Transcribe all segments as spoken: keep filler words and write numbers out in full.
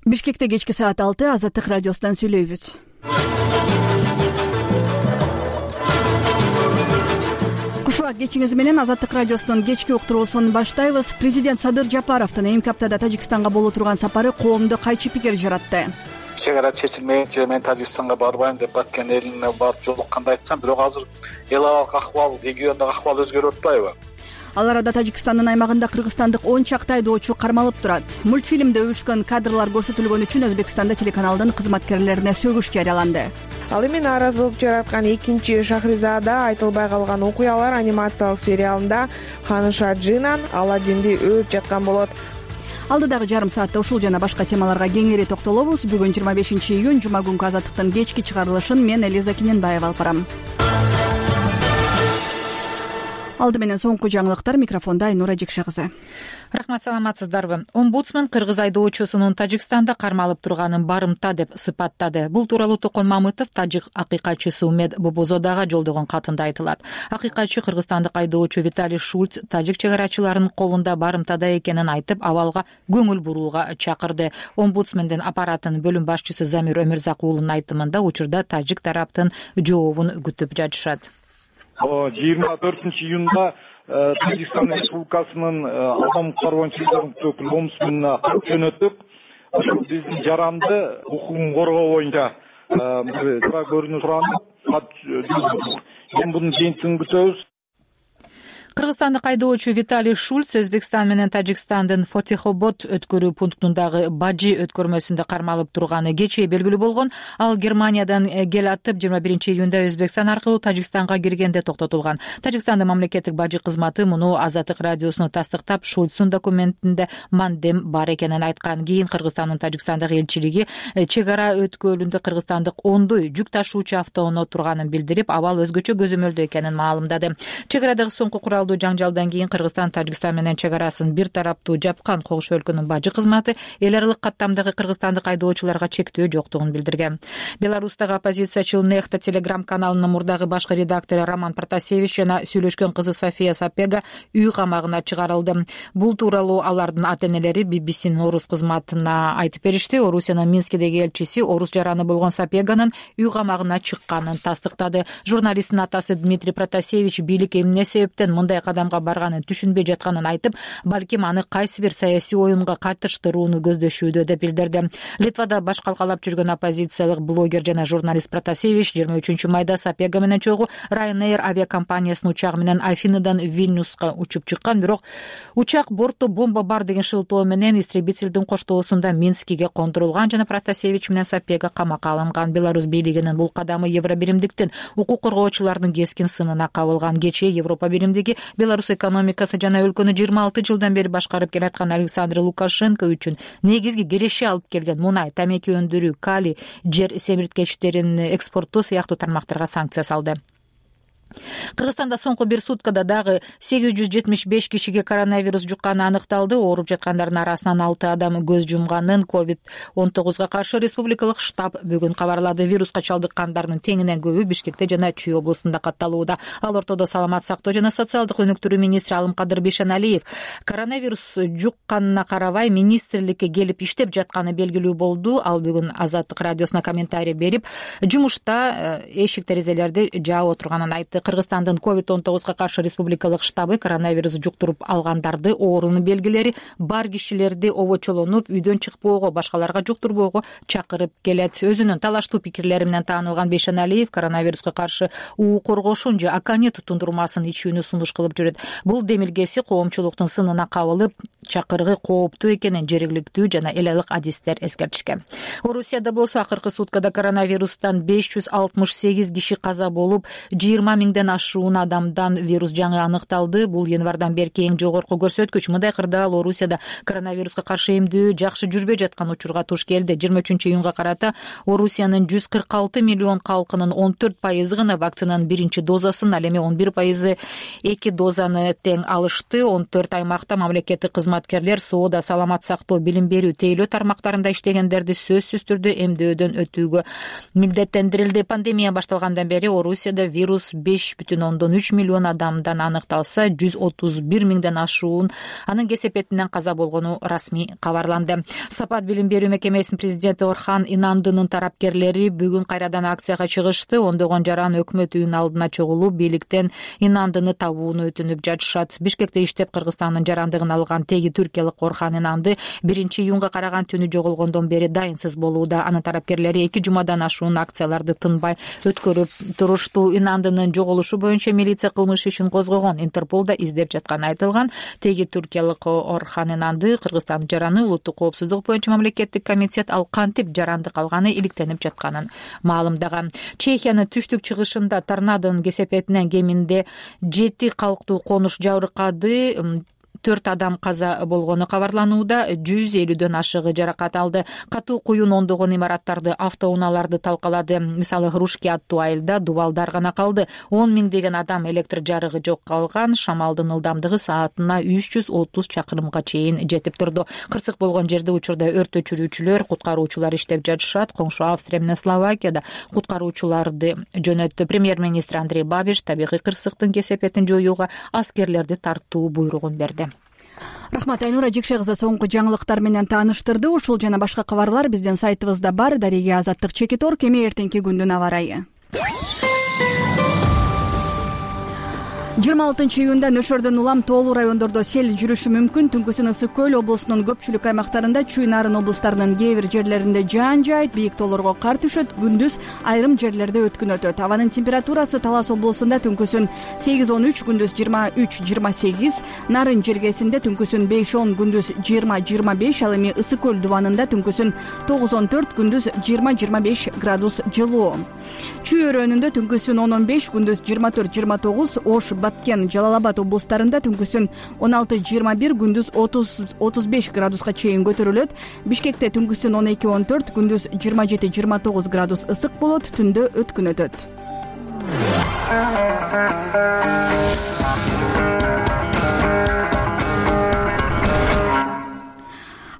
Бишкекте кечки саат алты Азаттык радиосунан сүйлөйбүз. Кушубак кечиңиз менен Азаттык радиосунун кечки уктуруусун баштайбыз. Президент Садыр Жапаровдун эмки аптада Тажикстанга боло турган сапары коомдо кайчы пикир жаратты. Чек ара чечилмейинче мен Тажикстанга барбайм деп баткен элине барып жолукканда айткан, бирок азыр эл абалдык акыбал, региондук акыбал өзгөрүп атпайбы? Ал арада Тажикстандын аймагында кыргызстандык он чакты айдоочу кармалып турат. Мультфильмде өбүшкөн кадрлар көрсөтүлгөн үчүн Өзбекстанда телеканалдын кызматкерлерине сөгүш жарыяланды. Ал эми нааразылык жараткан экинчи Шахризада айтылбай калган окуялар анимациялык сериалында Ханыша Джинан Аладдинди өөп жаткан болот. Алдыдагы жарым саатта ушул жана башка темаларга кеңири токтолобуз. Бүгүн жыйырма бешинчи июнь жума күнкү Азаттыктын кечки чыгарылышын мен Элиза Киненбаева алып барам. Алды менен соңку жаңылыктар, микрофонда Айнура Жекше кызы. Рахмат, саламатсыздарбы? Омбудсмен кыргыз айдоочусунун Тажикстанда кармалып турганын барымта деп сыпаттады. Бул тууралуу Токон Мамытов тажик акыйкатчысы Умед Бобозодага жолдогон катында айтылат. Акыйкатчы кыргызстандык айдоочу Виталий Шульц тажик чек арачыларынын колунда барымтада экенин айтып, абалга көңүл бурууга чакырды. Омбудсмендин аппаратынын бөлүм башчысы Замир Өмүрзак уулунун айтымында учурда тажик тараптын жообун күтүп жатышат. жыйырма төртүнчү июнда Тажикстан Республикасынын адам укуктары боюнча өкүлү омбудсменине кат жөнөттүк. Ошол биздин жаранды укугун коргоо боюнча көрүнүп суранып кат жөнөттүк. Эми мунун жыйынтыгын күтөбүз. Кыргызстандык айдоочу Виталий Шульц Өзбекстан менен Тажикстандын Фотихобод өткөрүү пунктундагы Бажи өткөрмөсүндө кармалып турганы кечээ белгилүү болгон. Ал Германиядан кел атып жыйырма биринчи июнда Өзбекстан аркылуу Тажикстанга киргенде токтотулган. Тажикстандын мамлекеттик бажы кызматы муну Азаттык радиосуна тастыктап, Шульцтун документинде мандем бар экенин айткан. Кийин Кыргызстандын Тажикстандагы элчилиги чек ара өткөлүндө кыргызстандык ондой жүк ташуучу автоуноо турганын билдирип, абал өзгөчө көзөмөлдүү экенин маалымдады. Чек арадагы соңку курал жаңжалдан кийин Кыргызстан Тажикстан менен чек арасын бир тараптуу жапкан Кош өлкөнүн бажы кызматы эл аралык каттамдагы кыргызстандык айдоочуларга чектөө жоктугун билдирген. Беларустагы оппозициячыл Нехта телеграм каналынын мурдагы башкы редактору Роман Протасевич жана сүйлөшкөн кызы София Сапега үй камагына чыгарылды. Бул тууралуу алардын ата-энелери би би синин орус кызматына айтып беришти. Орусиянын Минскидеги элчиси орус жараны болгон Сапеганын үй камагына чыкканын тастыктады. Журналисттин атасы Дмитрий Протасевич бийлик эмне себептен мындай кадамга барганын түшүнбөй жатканын айтып, балким аны кайсы бир саясий оюнга катыштырууну көздөшүүдө деп билдирди. Литвада баш калкалап жүргөн оппозициялык блогер жана журналист Протасевич жыйырма үчүнчү майда Сапега менен чогуу Ryanair авиакомпаниясынын учагы менен Афиныдан Вильнюска учуп чыккан, бирок учак бортто бомба бар деген шылтоо менен истребительдин коштоосунда Минскиге кондурулган жана Протасевич менен Сапега камакка алынган. Беларусь бийлигинин бул кадамы Евробиримдиктин укук коргоочулардын кескин сынына кабылган. Кечээ Европа биримдиги Беларусь экономикасы жана өлкөнү жыйырма алты жылдан бери башкарып келаткан Александр Лукашенко үчүн негизги киреши алып келген мунай, тамеки өндүрүү, калий, жер семирткечтерин экспорту сыяктуу тармактарга санкция салды. Кыргызстанда соңку бир суткада дагы сегиз жүз жетимиш беш кишиге коронавирус жукканы аныкталды. Ооруп жаткандардын арасынан алты адам көз жумганын ковид он тогузга каршы республикалык штаб бүгүн кабарлады. Вируска чалдыккандардын теңинен көбү Бишкекте жана Чүй облустунда катталууда. Ал ортодо саламат сактоо жана социалдык өнүктүрүү министри Алымкадыр Бейшеналиев коронавирус жукканына карабай министрликке келип иштеп жатканы белгилүү болду. Ал бүгүн Азаттык радиосуна комментарий берип, жумушта эшик терезелерди жаап отурганын айтты. Кыргызстандын ковид он тогузга каршы республикалык штабы коронавирус жуктуруп алгандарды, оорунун белгилери бар кишилерди обочолонуп, үйдөн чыкпоого, башкаларга жуктурбоого чакырып келет. Өзүнүн талаштуу пикирлери менен таанылган Бейшеналиев коронавируска каршы уу коргошун же аканит тундурмасын ичүүнү сунуш кылып жүрөт. Бул демилгеси коомчулуктун сынына кабылып, чакыргы кооптуу экенин жергиликтүү жана эл аралык адистер эскертишкен. Орусияда болсо акыркы суткада коронавирустан беш жүз алтымыш сегиз киши каза болуп, жыйырма миңден ашуун адамдан вирус жаңы аныкталды. Бул январдан берки эң жогорку көрсөткүч. Мындай кырдаал Орусияда коронавируска каршы эмдөө жакшы жүрбөй жаткан учурга туш келди. жыйырма үчүнчү июнга карата Орусиянын жүз кырк алты миллион калкынын он төрт пайызы гана вакцинанын биринчи дозасын, ал эми он бир пайызы эки дозаны тең алышты. он төрт аймакта мамлекеттик кызматкерлер соода, саламат сактоо, билим берүү, тейлөө тармактарында иштегендерди сөзсүз түрдө эмдөөдөн өтүүгө милдеттендирилди. Пандемия башталгандан бери Орусияда вирус беш беш бүтүн ондон үч миллион адамдан аныкталса, жүз отуз бир миңден ашуун анын кесепетинен каза болгону расмий кабарланды. Сапат билим берүү мекемесинин президенти Орхан Инандынын тарапкерлери бүгүн кайрадан акцияга чыгышты. Ондогон жаран өкмөт үйүнүн алдына чогулуп, бийликтен Инандыны табууну өтүнүп жатышат. Бишкекте иштеп, Кыргызстандын жарандыгын алган теги түркиялык Орхан Инанды биринчи июнга караган түнү жоголгондон бери дайынсыз болууда. Анын тарапкерлери эки жумадан ашуун акцияларды тынбай өткөрүп турушту. Инандынын жоголушу боюнча милиция кылмыш ишин козгогон. Интерпол да издеп жатканы айтылган. Теги түркиялык Орхан Инанды Кыргызстандын жараны улуттук коопсуздук боюнча мамлекеттик комитет ал кантип жаранды калганы иликтенип жатканын маалымдаган. Чехиянын түштүк чыгышында торнадонун кесепетинен кеминде жети калктуу конуш жабыркады. төрт адам каза болгону кабарланууда, жүз элүүдөн ашыгы жаракат алды. Катуу куюн ондогон имараттарды, автоунааларды талкалады. Мисалы, Рушки аттуу айылда дубалдар гана калды. он миңдеген адам электр жарыгы жок калган. Шамалдын ылдамдыгы саатына үч жүз отуз чакырымга чейин жетип турду. Кырсык болгон жерде учурда өрт өчүрүүчүлөр, куткаруучулар иштеп жатышат. Коңшу Австрия менен Словакияда куткаруучуларды жөнөттү. Премьер-министр Андрей Бабиш табигый кырсыктын кесепетин жоюуга аскерлерди тартуу буйругун берди. Рахмат, Айнура Жекше кызы соңку жаңылыктар менен тааныштырды. Ушул жана башка кабарлар биздин сайтыбызда бар. Дареге Азаттык Чекитор, кеме эртеңки күндүн аба ырайы. жыйырма алтынчы июнда Нөшөрдөн улам тоолуу райондордо сел жүрүшү мүмкүн. Түнкүсүн Ысык көл облусунун көпчүлүк аймактарында, Чүй Нарын облустарынын кээ бир жерлеринде жаан жаайт, бийик тоолорго кар түшөт, күндүз айрым жерлерде өткүн өтөт. Абанын температурасы Талас облусунда түнкүсүн сегиз он үч, күндүз жыйырма үч жыйырма сегиз, Нарын жергесинде түнкүсүн беш он, күндүз жыйырма жыйырма беш, ал эми Ысык көл дубанында түнкүсүн тогуз он төрт, күндүз жыйырма жыйырма беш градус жылуу. Чүй өрөөнүндө түнкүсүн он он беш, күндүз жыйырма төрт жыйырма тогуз, Ош, Баткен, Жалал Абад облустарында түнкүсүн он алты жыйырма бир, күндүз отуз отуз беш градуска чейин көтөрүлөт. Бишкекте түнкүсүн он эки он төрт, күндүз жыйырма жети жыйырма тогуз градус ысык болот, түндө өткүн өтөт.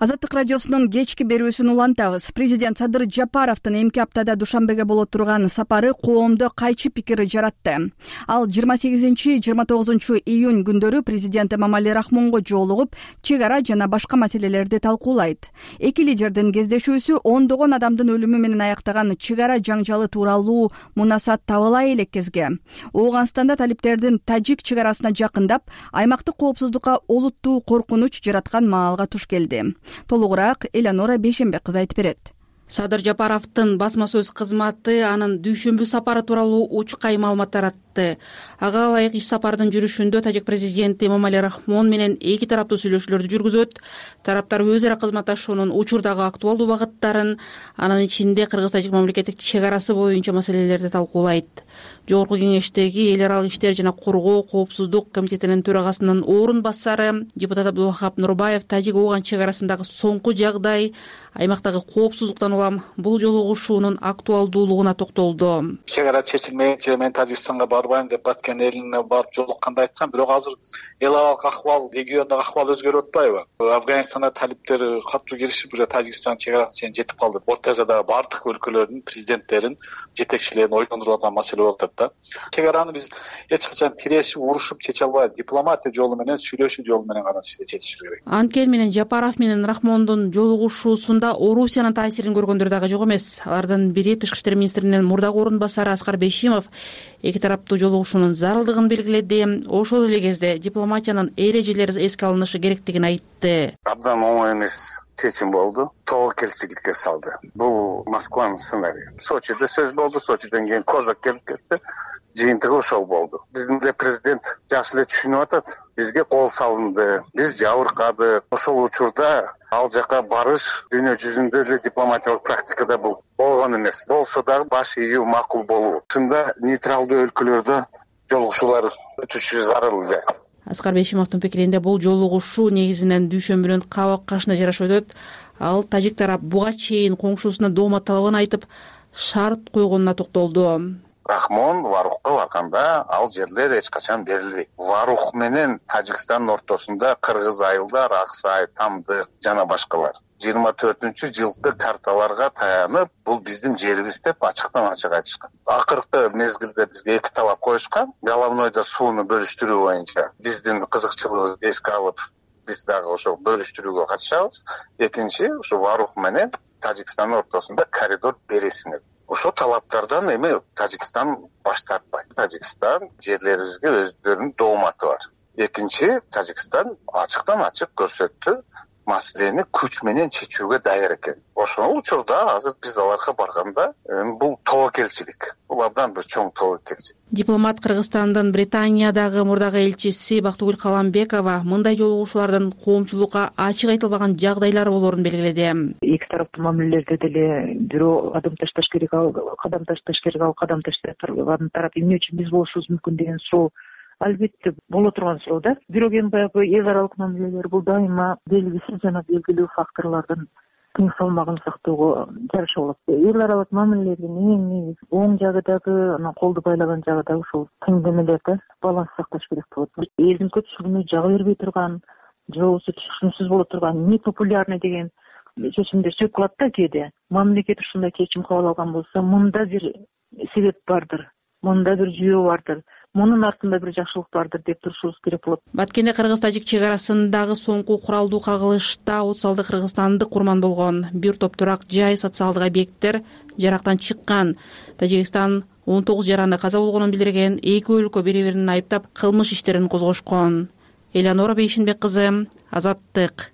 Азаттык радиосунун кечки берүүсүн улантабыз. Президент Садыр Жапаровдун эмки аптада Душанбеге боло турган сапары коомдо кайчы пикир жаратты. Ал жыйырма сегизинчи жыйырма тогузунчу июнь күндөрү президент Эмомали Рахмонго жолугуп, чек ара жана башка маселелерди талкуулайт. Эки лидердин кездешүүсү ондогон адамдын өлүмү менен аяктаган чек ара жаңжалы тууралуу мунасат табылай элек кезге. Ооганстанда талиптердин тажик чек арасына жакындап, аймактык коопсуздукка олуттуу коркунуч жараткан маалга туш келди. Толугураак Элеонора Бейшенбек кызы айтып берет. Садыр Жапаровдун басма сөз кызматы анын дүйшөмбү сапары тууралуу учкай маалымат таратты. Ага ылайык иш сапардын жүрүшүндө тажик президенти Эмомали Рахмон менен эки тараптуу сүйлөшүүлөрдү жүргүзөт. Тараптар өз ара кызматташуунун учурдагы актуалдуу багыттарын, анын ичинде кыргыз-тажик мамлекеттик чек арасы боюнча маселелерди талкуулайт. Жогорку кеңештеги эл аралык иштер жана коргоо коопсуздук комитетинин төрагасынын орун басары депутат Абдулвахап Нурбаев тажик ооган чек арасындагы соңку жагдай, аймактагы коопсуздуктан улам бул жолугушуунун актуалдуулугуна токтолду. Чек ара чечилмейинче мен Тажикстанга барбайм деп Баткен элине барып жолукканда айткан, бирок азыр эл аралык акыбал, региондогу акыбал өзгөрүп атпайбы? Афганистанда талиптер катуу киришип, уже Тажикстан чек арасына чейин жетип калды. Орто Азиядагы бардык өлкөлөрдүн президенттерин, жетекчилерин ойлондуруп аткан маселе болуп атат да. Чек араны биз эч качан тирешип, урушуп чече албайбыз. Дипломатия жолу менен, сүйлөшүү жолу менен гана чечишибиз керек. Анткени менен Жапаров менен Рахмондун жолугушуусунда Орусиянын таасирин көргөндөр дагы жок эмес. Алардын бири тышкы иштер министринин мурдагы орун басары Аскар Бейшимов эки тараптуу жолугушуунун зарылдыгын белгиледи. Ошол эле кезде дипломатиянын эрежелери эске алынышы керектигин айтты. Абдан оңой эмес чечим болду. Тобокелчиликке салды. Бул Москванын сценарийи. Сочиде сөз болду, Сочиден кийин Козак келип кетти. Жыйынтыгы ошол болду. Биздин эле президент жакшы эле түшүнүп атат. Бизге кол салынды, биз жабыркадык. Ошол учурда ал жака барыш дүйнө жүзүндө эле дипломатиялык практикада бул болгон эмес. Болсо дагы баш ийүү макул болуу. Ушунда нейтралдуу өлкөлөрдө жолугушуулар өтүшү зарыл эле. Аскар Бейшимовдун пикиринде бул жолугушуу негизинен дүйшөмбүнүн кабак кашына жараша өтөт. Ал тажик тарап буга чейин коңшусуна доомат талабын айтып, шарт койгонуна токтолду. Рахмон Варухка барганда ал жерлер эч качан берилбейт. Варух менен Тажикстандын ортосунда Кыргыз айылдар, Аксай, Тамдык жана башкалар. жыйырма төртүнчү жылкы карталарга таянып бул биздин жерибиз деп ачыктан ачык айтышкан. Акыркы мезгилде бизге эки талап коюшкан. Головнойдо сууну бөлүштүрүү боюнча биздин кызыкчылыгыбызды эске алып, биз дагы ошол бөлүштүрүүгө катышабыз. Экинчи, ушу Варух менен Тажикстандын ортосунда коридор бересине. Ошол талаптардан эми Тажикстан баш тартпайт. Тажикстан жерлерибизге өздөрүнүн дооматы бар. Экинчи, Тажикстан ачыктан ачык көрсөттү, маселени күч менен чечүүгө даяр экен. Ошол учурда азыр биз аларга барганда бул тобокелчилик. Бул абдан бир чоң тобокелчилик. Дипломат Кыргызстандын Британиядагы мурдагы элчиси Бактыгүл Каламбекова мындай жолугушуулардын коомчулукка ачык айтылбаган жагдайлары болоорун белгиледи. Эки тараптуу мамилелерде деле бирөө кадам ташташ керек, ал кадам ташташ керек, ал кадам таштаган тарап эмне үчүн биз болушубуз мүмкүн деген суроо албетте боло турган суроо да. Бирок эми баягы эл аралык мамилелер бул дайыма белгисиз жана белгилүү факторлордун тең салмагын сактоого жараша болот. Эл аралык мамилелердин эң негизи оң жагы дагы, анан колду байлаган жагы дагы ушул теңдемелер да, баланс сакташ керек болот. Элдин көпчүлүгүнө жага бербей турган, же болбосо түшүнүксүз боло турган, непопулярный деген чечимдер сөп калат да кээде. Мамлекет ушундай чечим кабыл алган болсо, мында бир себеп бардыр, мында бир жүйө бардыр, мунун артында бир жакшылык бардыр деп турушубуз керек болот. Баткенде кыргыз-тажик чек арасындагы соңку куралдуу кагылышта отуз алты кыргызстандык курман болгон. Бир топ турак жай, социалдык объекттер жарактан чыккан. Тажикстан он тогуз жаранды каза болгонун билдирген. Эки өлкө бири-бирин айыптап кылмыш иштерин козгошкон. Элеонора Бейшинбек кызы, Азаттык.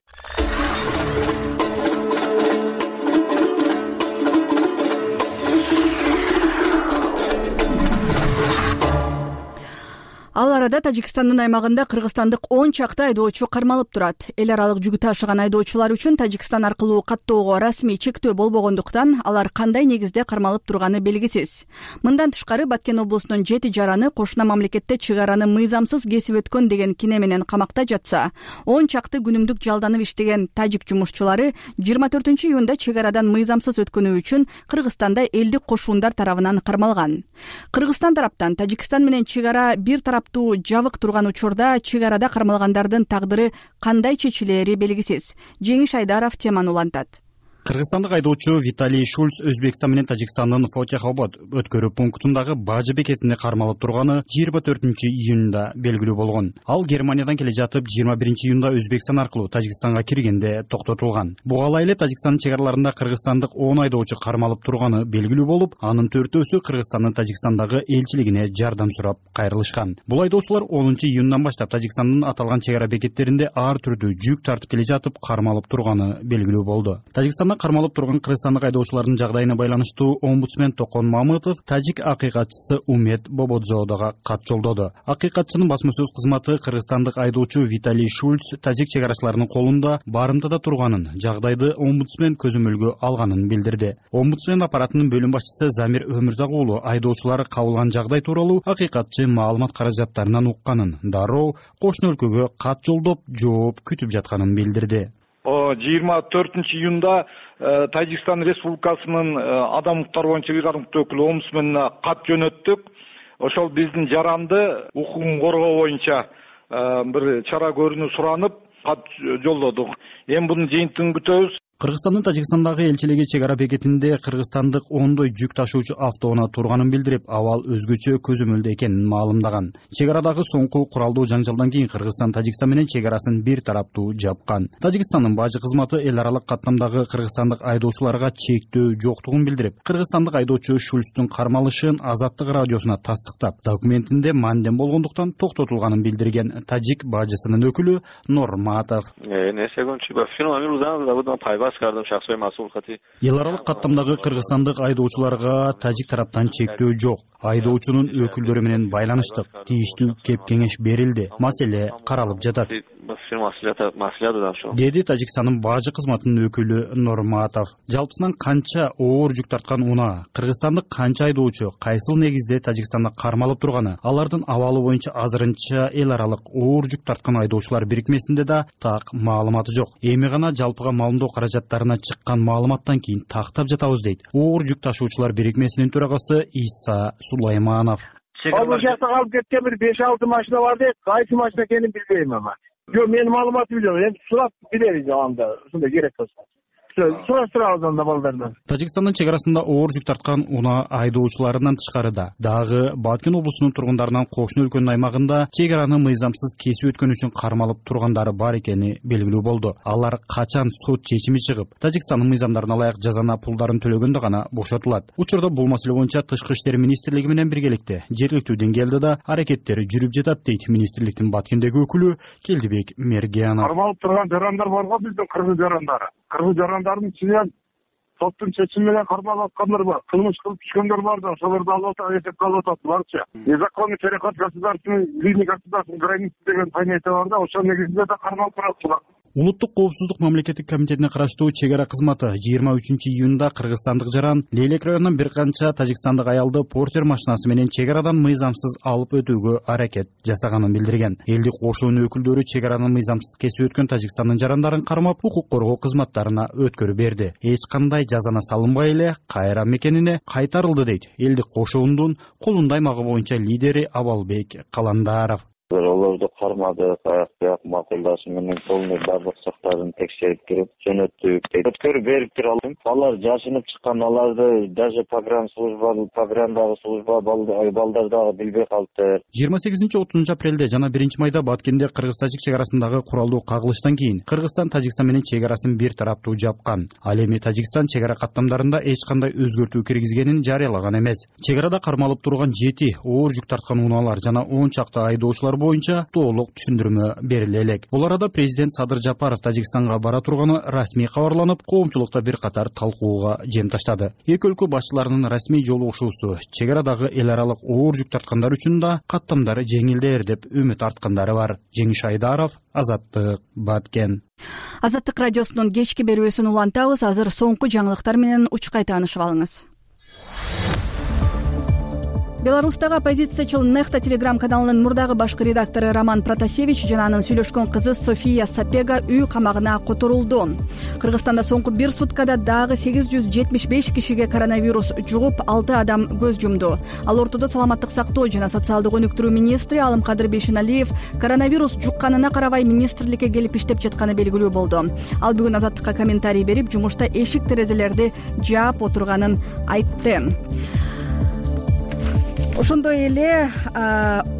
Ал арада Тажикстандын аймагында кыргызстандык он чакты айдоочу кармалып турат. Эл аралык жүк ташыган айдоочулар үчүн Тажикстан аркылуу каттоого расмий чектөө болбогондуктан алар кандай негизде кармалып турганы белгисиз. Мындан тышкары Баткен облусунун жети жараны кошуна мамлекетте чек араны мыйзамсыз кесип өткөн деген кине менен камакта жатса, он чакты күнүмдүк жалданып иштеген тажик жумушчулары жыйырма төртүнчү июнда чек арадан мыйзамсыз өткөнү үчүн Кыргызстанда элдик кошуундар тарабынан кармалган. Кыргызстан тараптан Тажикстан менен чек ара бир тарап жабык турган учурда чек арада кармалгандардын тагдыры кандай чечилери белгисиз. Жеңиш Айдаров теманы улантат. Кыргызстандык айдоочу Виталий Шульц Өзбекстан менен Тажикстандын Фотихобод өткөрүү пунктундагы бажы бекетинде кармалып турганы жыйырма төртүнчү июнда белгилүү болгон. Ал Германиядан келе жатып жыйырма биринчи июнда Өзбекстан аркылуу Тажикстанга киргенде токтотулган. Буга эле Тажикстандын чек араларында кыргызстандык он айдоочу кармалып турганы белгилүү болуп, анын төртөөсү Кыргызстандын Тажикстандагы элчилигине жардам сурап кайрылышкан. Бул айдоочулар онунчу июндан баштап Тажикстандын аталган чек ара бекеттеринде ар түрдүү жүк тартып келе жатып кармалып турганы белгилүү болду. Тажикстанда кармалып турган кыргызстандык айдоочулардын жагдайына байланыштуу омбудсмен Токон Мамытов тажик акыйкатчысы Умет Бободзодого кат жолдоду. Акыйкатчынын басма сөз кызматы кыргызстандык айдоочу Виталий Шульц тажик чек арачыларынын колунда барымтада турганын, жагдайды омбудсмен көзөмөлгө алганын билдирди. Омбудсмен аппаратынын бөлүм башчысы Замир Өмүрзак уулу айдоочулар кабылган жагдай тууралуу акыйкатчы маалымат каражаттарынан укканын, дароо кошуна өлкөгө кат жолдоп жооп күтүп жатканын билдирди. жыйырма төртүнчү июнда Тажикстан Республикасынын адам укуктары боюнча бир катар өкүлү омбудсменине кат жөнөттүк. Ошол биздин жаранды укугун коргоо боюнча бир чара көрүүнү суранып кат жолдодук. Эми мунун жыйынтыгын күтөбүз. Кыргызстандын Тажикстандагы элчилиги чек ара бекетинде кыргызстандык ондой жүк ташуучу автоунаа турганын билдирип, абал өзгөчө көзөмөлдө экенин маалымдаган. Чек арадагы соңку куралдуу жанжалдан кийин Кыргызстан Тажикстан менен чек арасын бир тараптуу жапкан. Тажикстандын бажы кызматы эл аралык каттамдагы кыргызстандык айдоочуларга чектөө жоктугун билдирип, кыргызстандык айдоочу Шульцтун кармалышын Азаттык радиосуна тастыктап, документинде мандем болгондуктан токтотулганын билдирген тажик бажысынын өкүлү Норматов. Эл аралык каттамдагы кыргызстандык айдоочуларга тажик тараптан чектөө жок. Айдоочунун өкүлдөрү менен байланыштык. Тийиштүү кеп кеңеш берилди. Маселе каралып жатат. Деди Тажикстандын бажы кызматынын өкүлү Норматов. Жалпысынан канча оор жүк тарткан унаа, кыргызстандык канча айдоочу кайсыл негизде Тажикстанда кармалып турганы, алардын абалы боюнча азырынча эл аралык оор жүк тарткан айдоочулар бирикмесинде да так маалыматы жок. Эми гана жалпыга маалымдоо каражаттарына чыккан маалыматтан кийин тактап жатабыз дейт оор жүк ташуучулар бирикмесинин төрагасы Иса Сулайманов. Ал жакта калып кеткен бир беш алты машина бар дейт. Кайсы машина экенин билбейм ама. Жок, менин маалыматым жок. Эми сурап билебиз анда, ушундай керек болсо. сураштырабыз анда балдардан. Тажикстандын чек арасында оор жүк тарткан унаа айдоочуларынан тышкарыда дагы Баткен облусунун тургундарынан кошуна өлкөнүн аймагында чек араны мыйзамсыз кесип өткөн үчүн кармалып тургандары бар экени белгилүү болду. Алар качан сот чечими чыгып, Тажикстандын мыйзамдарына ылайык жазана пулдарын төлөгөндө гана бошотулат. Учурда бул маселе боюнча Тышкы иштер министрлиги менен биргеликте жергиликтүү деңгээлде да аракеттери жүрүп жатат дейт министрликтин Баткендеги өкүлү Келдибек Мергиянов. Кармалып турган жарандар бар го, биздин кыргыз жарандары. Кыргыз жарандардын ичинен соттун чечими менен кармалып аткандар бар. Кылмыш кылып түшкөндөр бар да, ошолорду алып атат, эсепке алып атат барча. Незаконный переход государственной линии государственной границы деген понятие бар да, ошол негизинде да кармалып турат. Улуттук коопсуздук мамлекеттик комитетине караштуу чек ара кызматы жыйырма үчүнчү июнда кыргызстандык жаран Лейлек районунан бир канча тажикстандык аялды портер машинасы менен чек арадан мыйзамсыз алып өтүүгө аракет жасаганын билдирген. Элдик кошуунун өкүлдөрү чек араны мыйзамсыз кесип өткөн Тажикстандын жарандарын кармап, укук коргоо кызматтарына өткөрүп берди. Эч кандай жазана салынбай эле кайра мекенине кайтарылды дейт элдик кошуундун Колунду аймагы боюнча лидери Абалбек Каландаров. Олорду кармадык, аяк бияк макулдашы менен полный бардык сактарын текшерип кирип жөнөттүк дейт. Өткөрүп берип тур алдым. Алар жашынып чыккан, аларды даже погран служба, пограндагы служба балдар дагы билбей калды. жыйырма сегизинчи отузунчу апрелде жана биринчи майда Баткенде кыргыз-тажик чек арасындагы куралдуу кагылыштан кийин Кыргызстан Тажикстан менен чек арасын бир тараптуу жапкан. Ал эми Тажикстан чек ара каттамдарында эч кандай өзгөртүү киргизгенин жарыялаган эмес. Чек арада кармалып турган жети оор жүк тарткан унаалар жана он чакты айдоочулар боюнча толук түшүндүрмө бериле элек. Бул арада президент Садыр Жапаров Тажикстанга бара турганы расмий кабарланып, коомчулукта бир катар талкууга жем таштады. Эки өлкө башчыларынын расмий жолугушуусу чек арадагы эл аралык оор жүк тарткандар үчүн да каттамдары жеңилдер деп үмүт арткандары бар. Жеңиш Айдаров, Азаттык, Баткен. Азаттык радиосунун кечки берүүсүн улантабыз. Азыр соңку жаңылыктар менен учкай таанышып алыңыз. Беларустагы оппозициячыл Нехта телеграм каналынын мурдагы башкы редактору Роман Протасевич жана анын сүйлөшкөн кызы София Сапега үй камагына которулду. Кыргызстанда соңку бир суткада дагы сегиз жүз жетимиш беш кишиге коронавирус жугуп, алты адам көз жумду. Ал ортодо саламаттык сактоо жана социалдык өнүктүрүү министри Алымкадыр Бейшеналиев коронавирус жукканына карабай министрликке келип иштеп жатканы белгилүү болду. Ал бүгүн Азаттыкка комментарий берип, жумушта эшик терезелерди жаап отурганын айтты. Ошондой эле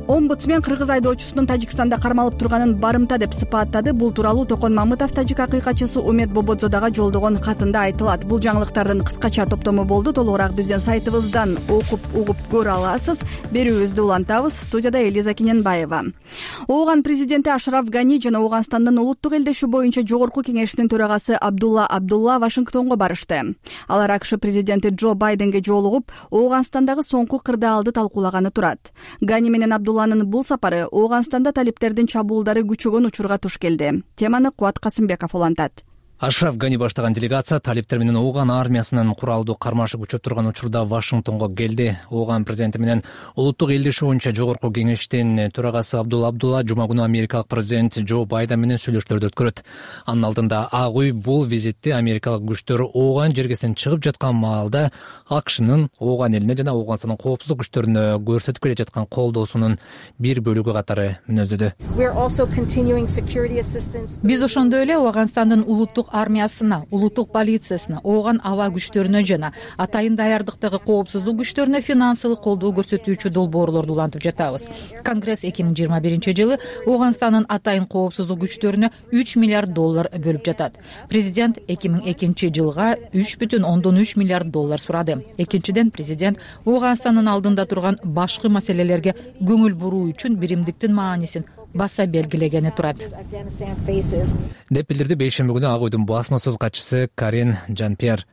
омбудсмен кыргыз айдоочусунун Тажикстанда кармалып турганын барымта деп сыпаттады. Бул тууралуу Токон Мамытов тажик акыйкатчысы Умет Бободзодага жолдогон катында айтылат. Бул жаңылыктардын кыскача топтому болду. Толугураак биздин сайтыбыздан окуп угуп көрө аласыз. Берүүбүздү улантабыз. Студияда Элиза Кененбаева. Ооган президенти Ашраф Гани жана Ооганстандын улуттук элдешүү боюнча жогорку кеңешинин төрагасы Абдулла Абдулла Вашингтонго барышты. Алар АКШ президенти Джо Байденге жолугуп, Ооганстандагы соңку кырдаалды талкуулаганы турат. Гани менен Абдулланын бул сапары Ооганстанда талиптердин чабуулдары күчөгөн учурга туш келди. Теманы Кубат Касымбеков улантат. Ашраф Гани баштаган делегация талиптер менен Ооган армиясынын куралдуу кармашы күчөп турган учурда Вашингтонго келди. Ооган президенти менен улуттук элдешүү боюнча жогорку кеңештин төрагасы Абдулла Абдулла жума күнү америкалык президент Джо Байден менен сүйлөшүүлөрдү өткөрөт. Анын алдында Ак үй бул визитти америкалык күчтөр Ооган жергесинен чыгып жаткан маалда АКШнын Ооган элине жана Ооганстандын коопсуздук күчтөрүнө көрсөтүп келе жаткан колдоосунун бир бөлүгү катары мүнөздөдү. Биз ошондой эле Ооганстандын улуттук армиясына, улуттук полициясына, Ооган аба күчтөрүнө жана атайын даярдыктагы коопсуздук күчтөрүнө финансылык колдоо көрсөтүүчү долбоорлорду улантып жатабыз. Конгресс эки миң жыйырма биринчи жылы Ооганстандын атайын коопсуздук күчтөрүнө үч миллиард доллар бөлүп жатат. Президент эки миң экинчи жылга үч бүтүн ондон үч миллиард доллар сурады. Экинчиден, президент Ооганстандын алдында турган башкы маселелерге көңүл буруу үчүн биримдиктин маанисин баса белгилегени турат деп билдирди бейшемби күнү Ак үйдүн басма сөз катчысы Карин Жан-Пьер.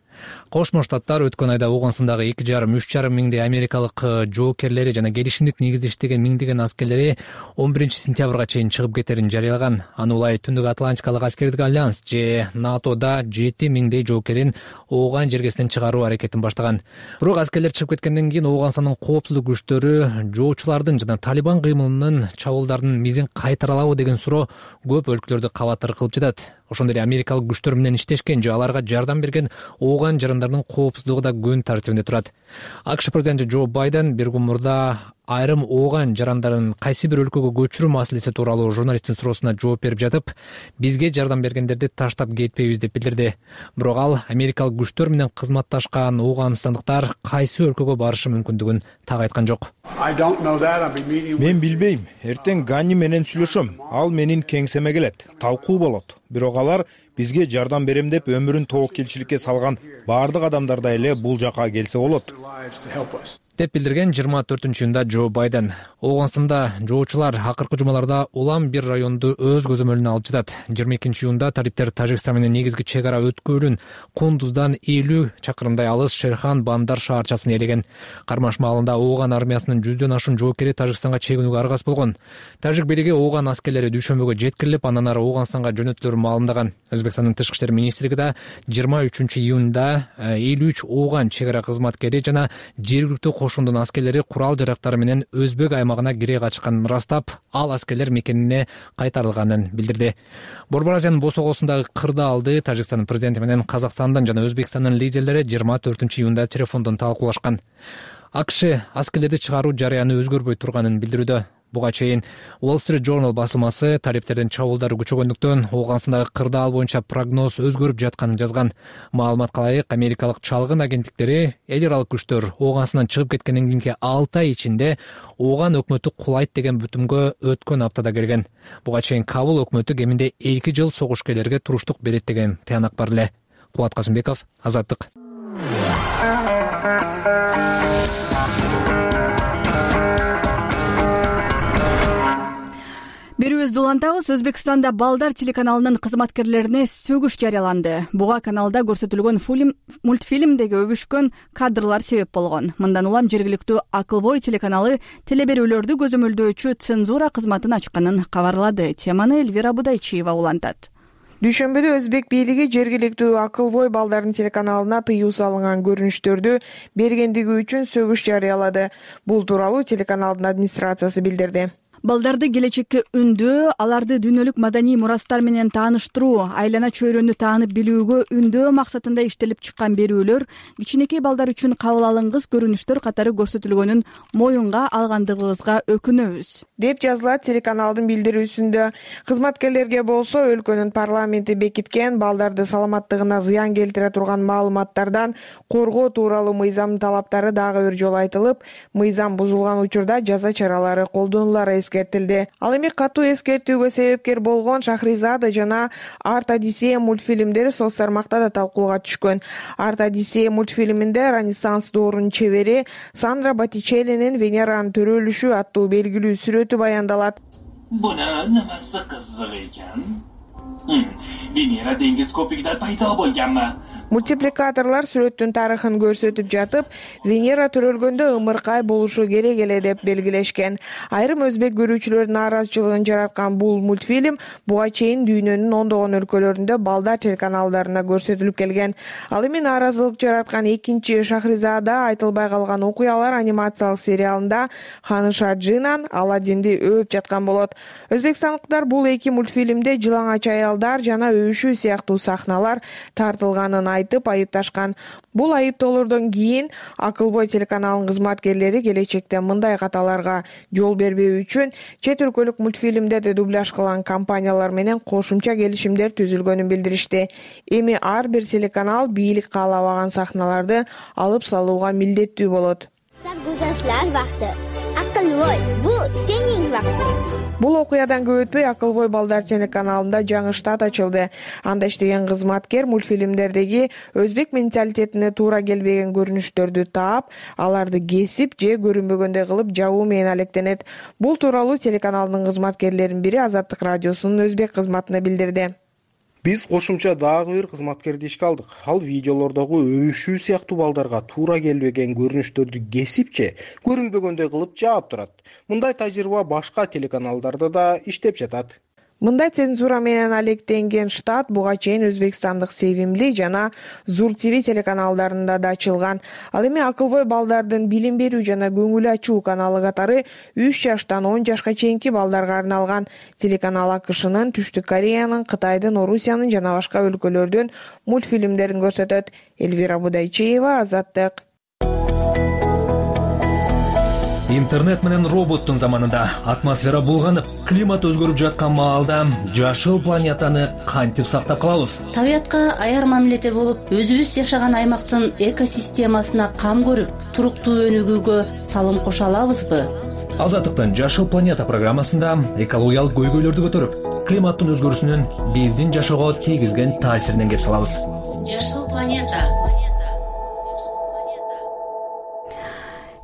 Кошмо Штаттар өткөн айда Ооганстандагы эки жарым үч жарым миңдей америкалык жоокерлери жана келишимдик негизде иштеген миңдеген аскерлери он биринчи сентябрга чейин чыгып кетерин жарыялаган. Аны улай Түндүк Атлантикалык аскердик альянс же НАТОда жети миңдей жоокерин Ооган жергесинен чыгаруу аракетин баштаган. Бирок аскерлер чыгып кеткенден кийин Ооганстандын коопсуздук күчтөрү жоочулардын жана Талибан кыймылынын чабуулдарынын мизин кайтаралабы деген суроо көп өлкөлөрдү кабаттар кылып жатат. Ошондой эле америкалык күчтөр менен иштешкен же аларга жардам берген Ооган ооган жарандардын коопсуздугу да күн тартибинде турат. АКШ президенти Джо Байден бир күн мурда айрым ооган жарандарын кайсы бир өлкөгө көчүрүү маселеси тууралуу журналисттин суроосуна жооп берип жатып, бизге жардам бергендерди таштап кетпейбиз деп билдирди. Бирок ал америкалык күчтөр менен кызматташкан ооганстандыктар кайсы өлкөгө барышы мүмкүндүгүн так айткан жок. Мен билбейм. Эртең Гани менен сүйлөшөм. Ал менин кеңсеме келет. Талкуу болот. Бирок алар бизге жардам берем деп өмүрүн тоокелчиликке салган баардык адамдардай эле бул жака келсе болот деп билдирген жыйырма төртүнчү июнда Джо Байден. Ооганстанда жоочулар акыркы жумаларда улам бир районду өз көзөмөлүнө алып жатат. жыйырма экинчи июнда талиптер Тажикстан менен негизги чек ара өткөлүн Кундуздан элүү чакырымдай алыс Шерхан Бандар шаарчасын ээлеген. Кармаш маалында ооган армиясынын жүздөн ашуун жоокери Тажикстанга чегинүүгө аргасыз болгон. Тажик бийлиги ооган аскерлери дүйшөмбүгө жеткирилип, андан ары Ооганстанга жөнөтүлөрүн маалымдаган. Өзбекстандын тышкы иштер министрлиги да жыйырма үчүнчү июнда элүү үч ооган чек ара кызматкери жана жергиликтүү кошундун аскерлери курал жарактары менен Өзбек аймагына кире качканын ырастап, ал аскерлер мекенине кайтарылганын билдирди. Борбор Азиянын босогосундагы кырдаалды Тажикстандын президенти менен Казакстандын жана Өзбекстандын лидерлери жыйырма төртүнчү июнда телефондон талкуулашкан. АКШ аскерлерди чыгаруу жарыяны өзгөрбөй турганын билдирүүдө. Буга чейин Wall Street Journal басылмасы талиптердин чабуулдары күчөгөндүктөн Ооганстандагы кырдаал боюнча прогноз өзгөрүп жатканын жазган. Маалыматка ылайык, америкалык чалгын агенттиктери эл аралык күчтөр Ооганстандан чыгып кеткенден кийинки алты ай ичинде Ооган өкмөтү кулайт деген бүтүмгө өткөн аптада келген. Буга чейин Кабул өкмөтү кеминде эки жыл согушкерлерге туруштук берет деген тыянак бар эле. Кубат Касымбеков, Азаттык. Берүүбүздү улантабыз. Өзбекстанда Балдар телеканалынын кызматкерлерине сөгүш жарыяланды. Буга каналда көрсөтүлгөн мультфильмдеги өбүшкөн кадрлар себеп болгон. Мындан улам жергиликтүү Акылбой телеканалы телеберүүлөрдү көзөмөлдөөчү цензура кызматын ачканын кабарлады. Теманы Эльвира Будайчиева улантат. Дүйшөмбүдө Өзбек бийлиги жергиликтүү Акылбой балдардын телеканалына тыюу салынган көрүнүштөрдү бергендиги үчүн сөгүш жарыялады. Бул тууралуу телеканалдын администрациясы билдирди. Балдарды келечекке үндөө, аларды дүйнөлүк маданий мурастар менен тааныштыруу, айлана чөйрөнү таанып билүүгө үндөө максатында иштелип чыккан берүүлөр кичинекей балдар үчүн кабыл алынгыс көрүнүштөр катары көрсөтүлгөнүн моюнга алгандыгыбызга өкүнөбүз, деп жазылат телеканалдын билдирүүсүндө. Кызматкерлерге болсо өлкөнүн парламенти бекиткен балдарды саламаттыгына зыян келтире турган маалыматтардан коргоо тууралуу мыйзамдын талаптары дагы бир жолу айтылып, мыйзам бузулган учурда жаза чаралары колдонулары эскертилди. Ал эми катуу эскертүүгө себепкер болгон Шахризада жана Арт Одиссея мультфильмдери соц тармакта да талкууга түшкөн. Арт Одиссея мультфильминде Ренессанс доорунун чебери Сандра Боттичеллинин Венеранын төрөлүшү аттуу белгилүү сүрөтү баяндалат. Бuna nimasi qiziq ekan? Venera dengiz ko'pigida paydo bo'lganmi? Мультипликаторлор сүрөттүн тарыхын көрсөтүп жатып, Венера төрөлгөндө ымыркай болушу керек эле деп белгилешкен. Айрым өзбек көрүүчүлөрдүн нааразычылыгын жараткан бул мультфильм буга чейин дүйнөнүн ондогон өлкөлөрүндө балдар телеканалдарына көрсөтүлүп келген. Ал эми нааразылык жараткан экинчи Шахризада айтылбай калган окуялар анимациялык сериалында Ханыша Джинан Аладдинди өөп жаткан болот. Өзбекстандыктар бул эки мультфильмде жылаңач аялдар жана өбүшүү сыяктуу сахналар тартылганын айтып айыпташкан. Бул айыптоолордон кийин Акылбой телеканалынын кызматкерлери келечекте мындай каталарга жол бербөө үчүн чет өлкөлүк мультфильмдерди дубляж кылган компаниялар менен кошумча келишимдер түзүлгөнүн билдиришти. Эми ар бир телеканал бийлик каалабаган сахналарды алып салууга милдеттүү болот. Sarguzashtlar vaqti. Aqlvoy, bu sening vaqting. Бул окуядан көп өтпөй Акылбой балдар телеканалында жаңы штат ачылды. Анда иштеген кызматкер мультфильмдердеги өзбек менталитетине туура келбеген көрүнүштөрдү таап, аларды кесип же көрүнбөгөндөй кылып жабуу менен алектенет. Бул тууралуу телеканалдын кызматкерлеринин бири Азаттык радиосунун өзбек кызматына билдирди. Биз кошумча дагы бир кызматкерди ишке алдык. Ал видеолордогу өбүшүү сыяктуу балдарга туура келбеген көрүнүштөрдү кесип же көрүнбөгөндөй кылып жаап турат. Мындай тажрыйба башка телеканалдарда да иштеп жатат. Мындай цензура менен алектенген штат буга чейин Өзбекстандык Sevimli жана Zur ти ви телеканалдарында да ачылган. Ал эми акылбой балдардын билим берүү жана көңүл ачуу каналы катары үч жаштан он жашка чейинки балдарга арналган. Телеканал АКШнын, Түштүк Кореянын, Кытайдын, Орусиянын жана башка өлкөлөрдүн мультфильмдерин көрсөтөт. Элвира Будайчеева, Азаттык. Интернет менен роботтун заманында атмосфера булганып, климат өзгөрүп жаткан маалда жашыл планетаны кантип сактап калабыз? Табиятка аяр мамиледе болуп, өзүбүз жашаган аймактын экосистемасына кам көрүп, туруктуу өнүгүүгө салым кошо алабызбы? Азаттыктын Жашыл планета программасында экологиялык көйгөйлөрдү көтөрүп, климаттын өзгөрүүсүнүн биздин жашоого тийгизген таасиринен кеп салабыз. Жашыл планета.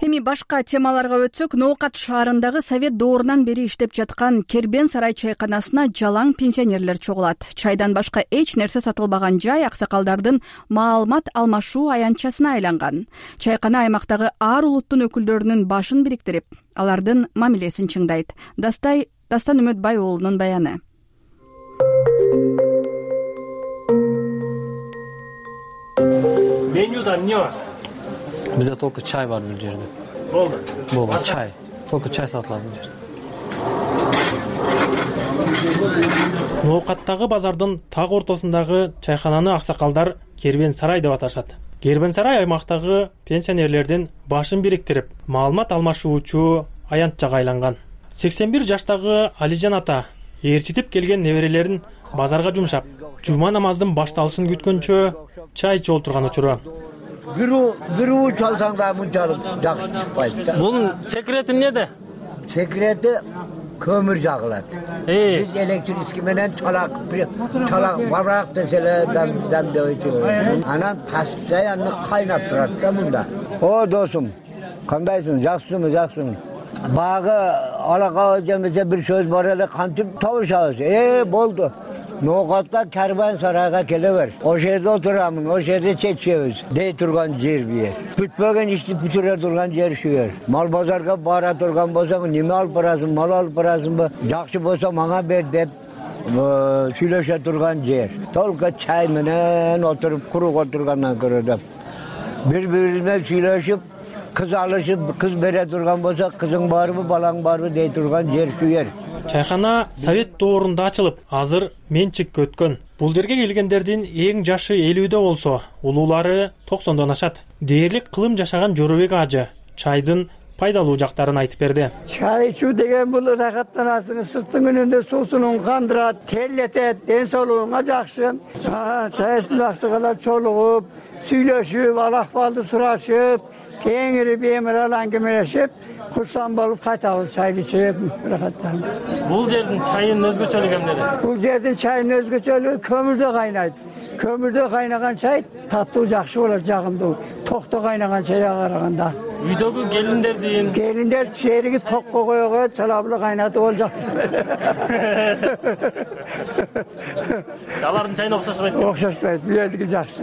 Эми башка темаларга өтсөк, Ноокат шаарындагы Совет доорунан бери иштеп жаткан Кербен сарай чайканасына жалаң пенсионерлер чогулат. Чайдан башка эч нерсе сатылбаган жай аксакалдардын маалымат алмашуу аянтчасына айланган. Чайкана аймактагы ар улуттун өкүлдөрүнүн башын бириктирип, алардын мамилесин чыңдайт. Дастай Дастан Үмөтбай уулунун баяны. Менюда эмне бар? Бизде только чай бар бул жерде. Болду. Болду, чай. Только чай сатылат бул жерде. Ноокаттагы базардын так ортосундагы чайкананы аксакалдар Кербен сарай деп аташат. Кербен сарай аймактагы пенсионерлердин башын бириктирип, маалымат алмашуучу аянтчага айланган. сексен бир жаштагы Алижан ата ээрчитип келген неберелерин базарга жумшап, жума намаздын башталышын күткөнчө чай ичип отурган учуру. Бирөө бирөө чалсаң да мынчалык жакшы чыкпайт да. Бунун секрети эмнеде? Секрети көмүр жагылат. Биз электрический менен чалак, чалак бабак деселе дамдайт. Анан постоянно кайнап турат да мында. О, досум, кандайсың? Жакшысыңбы, жакшысың? Багы алака жемесе бир сөз бар эле, кантип табышабыз? Э, болду. Ноокатка Кербен сарайга келе бер. О жерде отурамын, о жерде чечебиз. Дей турган жер бир. Бүтпөгөн ишти бүтүрө турган жер шу жер. Мал базарга бара турган болсоң, неме алып барасың, мал алып барасыңбы? Жакшы болсо мага бер деп сүйлөшө турган жер. Толку чай менен отуруп, курук отургандан көрө деп. Бири-бирине сүйлөшүп, кыз алышып, кыз бере турган болсо, кызың барбы, балаң барбы дей турган жер шу жер. Чайкана Совет доорунда ачылып, азыр менчикке өткөн. Бул жерге келгендердин эң жашы элүүдө болсо, улуулары токсондон ашат. Дээрлик кылым жашаган Жоробек ажы чайдын пайдалуу жактарын айтып берди. Чай ичүү деген бул рахаттанасың, сырттын күнүндө суусун кандырат, терлетет, ден соолугуңа жакшы. Чайдын аксакалар чолугуп, сүйлөшүп, ал-акбалды сурашып, кеңири бемирал аңгемелешип, курсан болуп кайтабыз, чай ичип, рахаттанып. Бул жердин чайынын өзгөчөлүгү эмнеде? Бул жердин чайынын өзгөчөлүгү көмүрдө кайнайт. Көмүрдө кайнаган чай таттуу, жакшы болот, жагымдуу. Токто кайнаган чайга караганда. Үйдөгү келиндердин келиндер шериги токко койгон, чалабылы кайнатып ол жак. Алардын чайына окшошпойт. Окшошпойт, бул жердики жакшы.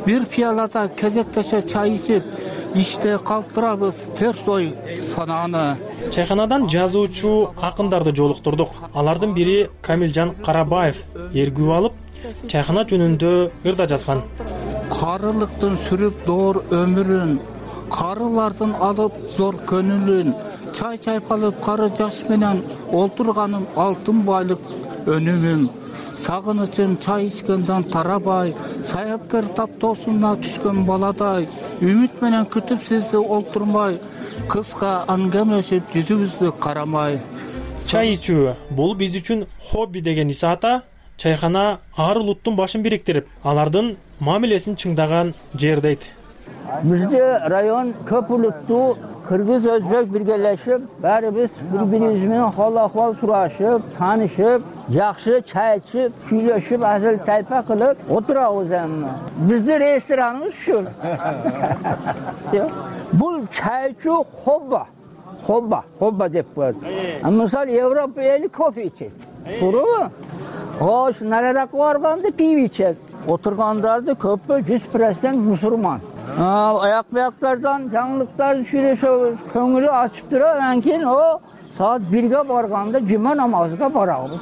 Бир пиялада кезектеше чай ичип, иште калып турабыз, терс ой санааны. Чайканадан жазуучу акындарды жолуктурдук. Алардын бири Камилжан Карабаев эргүү алып, чайкана жөнүндө ырда жазган. Карылыктын сүрүп доор өмүрүн, карылардын алып зор көнүлүн, чай чайпалып кары жаш менен олтурганым алтын байлык өнүмүм. Сагынычым чай ичкенден тарабай, саяпкер таптоосуна түшкөн баладай, үмүт менен күтүп сизди олтурмай, кыска аңгемелешип жүзүбүздү карамай. Чай ичүү бул биз үчүн хобби деген Иса ата чайкана ар улуттун башын бириктирип, алардын мамилесин чыңдаган жер дейт. Бизде район көп улуттуу кыргыз, өзбек биргелешип, баарыбыз бири-бирибиз менен хал-акыбал сурашып, таанышып, жакшы чай ичип, сүйлөшүп, азыл тайпа кылып отурабыз эми. Биздин рестораныбыз ушу. Бул чай ичүү хобба. Хобба, хобба деп коет. Мисалы Европа эли кофе ичет. Туурабы? Ош, нараракка барганда пиво ичет. Отургандарды көпү жүз процент мусулман. Аяк бияктардан жаңылыктарды сүйлөшөбүз, көңүлү ачып турат, анан кийин о саат бирге барганда жума намазга барабыз.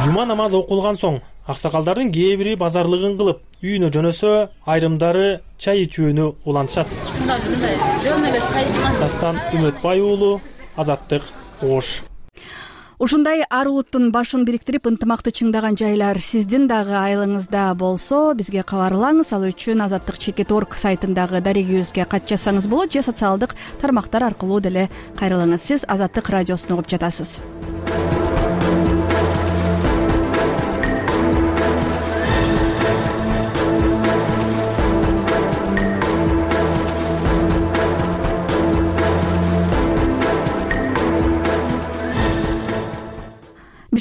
Жума намазы окулган соң аксакалдардын кээ бири базарлыгын кылып үйүнө жөнөсө, айрымдары чай ичүүнү улантышат. Дастан Үмөтбай уулу, Азаттык, Ош. Ушундай ар улуттун башын бириктирип ынтымакты чыңдаган жайлар сиздин дагы айылыңызда болсо, бизге кабарлаңыз. Ал үчүн азаттык чекит точка орг сайтындагы дарегибизге кат жазсаңыз болот же социалдык тармактар аркылуу деле кайрылыңыз. Сиз Азаттык радиосун угуп жатасыз.